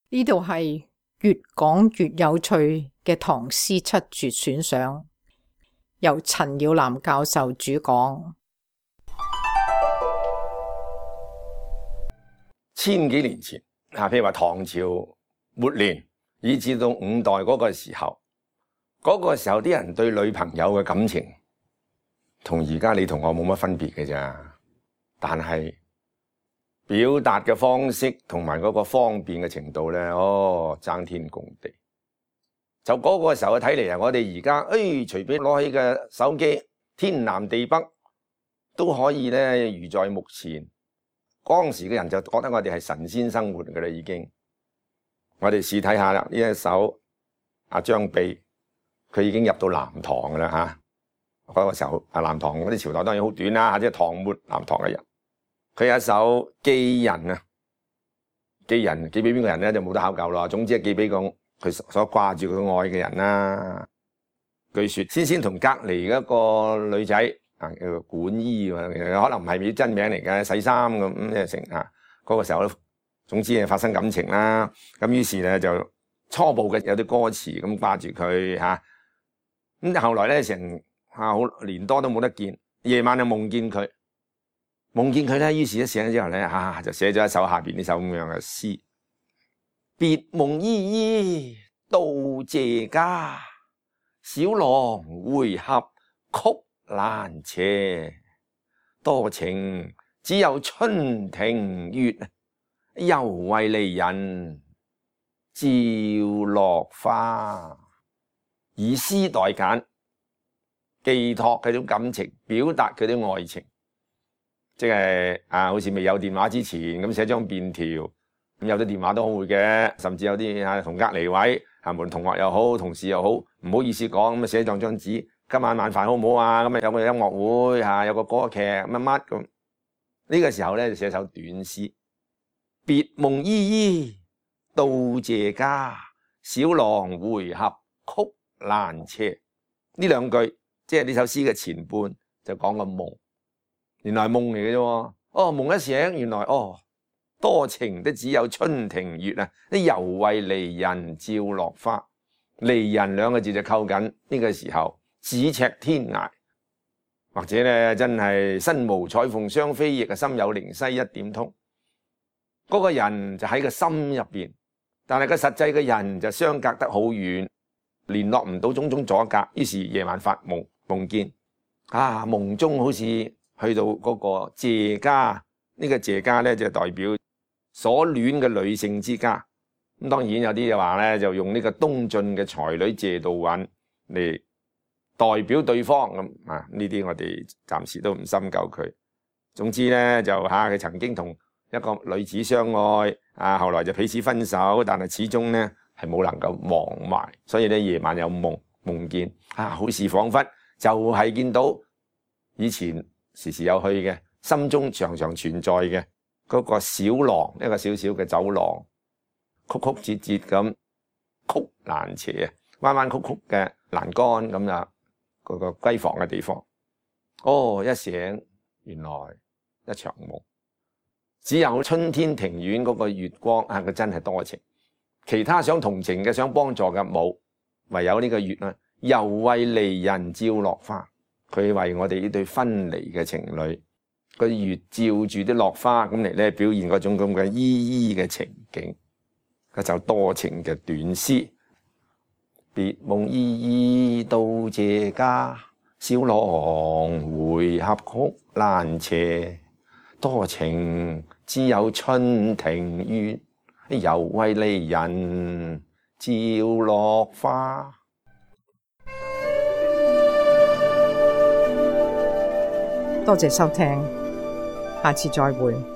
呢度係越講越有趣嘅唐詩七絕選賞，由陳耀南教授主講。千幾年前譬如話唐朝末年，以至到5代嗰個時候，啲人對女朋友嘅感情，同而家你同我冇乜分別嘅咋，但係表達嘅方式同埋嗰個方便嘅程度咧，爭天共地。就嗰個時候睇嚟啊，我哋而家隨便攞起嘅手機，天南地北都可以咧如在目前。當時嘅人就覺得我哋係神仙生活㗎啦，已經。我哋試睇下啦，呢一首阿張泌，佢已經入到南唐㗎啦嚇。嗰個時候南唐嗰啲朝代當然好短啦，即係唐末南唐嘅人。佢有一首寄人啊，寄人寄俾邊個人咧就冇得考究啦。總之係寄俾個佢所掛住佢愛嘅人啦。據說先同隔離嗰個女仔叫做管姨，可能唔係佢真名嚟嘅，洗衫咁即係成嗰個時候咧，總之係發生感情啦。咁於是咧就初步嘅有啲歌詞咁掛住佢嚇。咁後來咧成好年多都冇得見，夜晚就夢見佢。夢見佢咧，於是一醒之後咧，就寫咗一首下邊呢首咁樣嘅詩：別夢依依到謝家，小郎回合曲難斜。多情只有春庭月，猶為離人照落花。以詩代簡，寄託佢種感情，表達佢啲愛情。即係好似未有電話之前咁寫張便條，咁有啲電話都好會嘅，甚至有啲同隔離位無論同學又好，同事又好，唔好意思講咁寫張紙，今晚晚飯好唔好啊？咁有個音樂會有個歌劇乜乜咁。呢個時候咧就寫首短詩：別夢依依到謝家，小郎回合曲難斜。呢兩句即係呢首詩嘅前半就講個夢。原來係夢嚟嘅啫，夢一醒，原來多情的只有春庭月啊！啲猶為離人照落花，離人兩個字就扣緊呢個時候，咫尺天涯，或者咧真係身無彩鳳雙飛翼啊，心有靈犀一點通。嗰個人就喺個心入邊，但係個實際嘅人就相隔得好遠，聯絡唔到，種種阻隔。於是夜晚發夢，夢見夢中好似去到嗰個謝家，呢個謝家咧就代表所戀嘅女性之家。咁當然有啲就話咧，就用呢個東晉嘅才女謝道韞嚟代表對方咁呢啲我哋暫時都唔深究佢。總之咧就佢曾經同一個女子相愛後來就彼此分手，但係始終咧係冇能夠忘懷。所以咧夜晚有夢見好似彷彿就係見到以前時時有去嘅，心中常常存在嘅嗰個小廊，一個小小嘅走廊，曲曲折折咁，曲難斜，彎彎曲曲嘅欄杆咁啦，嗰個閨房嘅地方。一醒原來一場夢，只有春天庭院嗰個月光佢真係多情，其他想同情嘅、想幫助嘅冇，唯有呢個月猶為離人照落花。佢為我哋呢對分離嘅情侶，個月照住啲落花咁嚟咧，表現嗰種咁嘅依依嘅情景。嗰首多情嘅短詩：別夢依依到謝家，小郎回合曲難斜。多情只有春庭月，猶為離人照落花。多謝收聽，下次再會。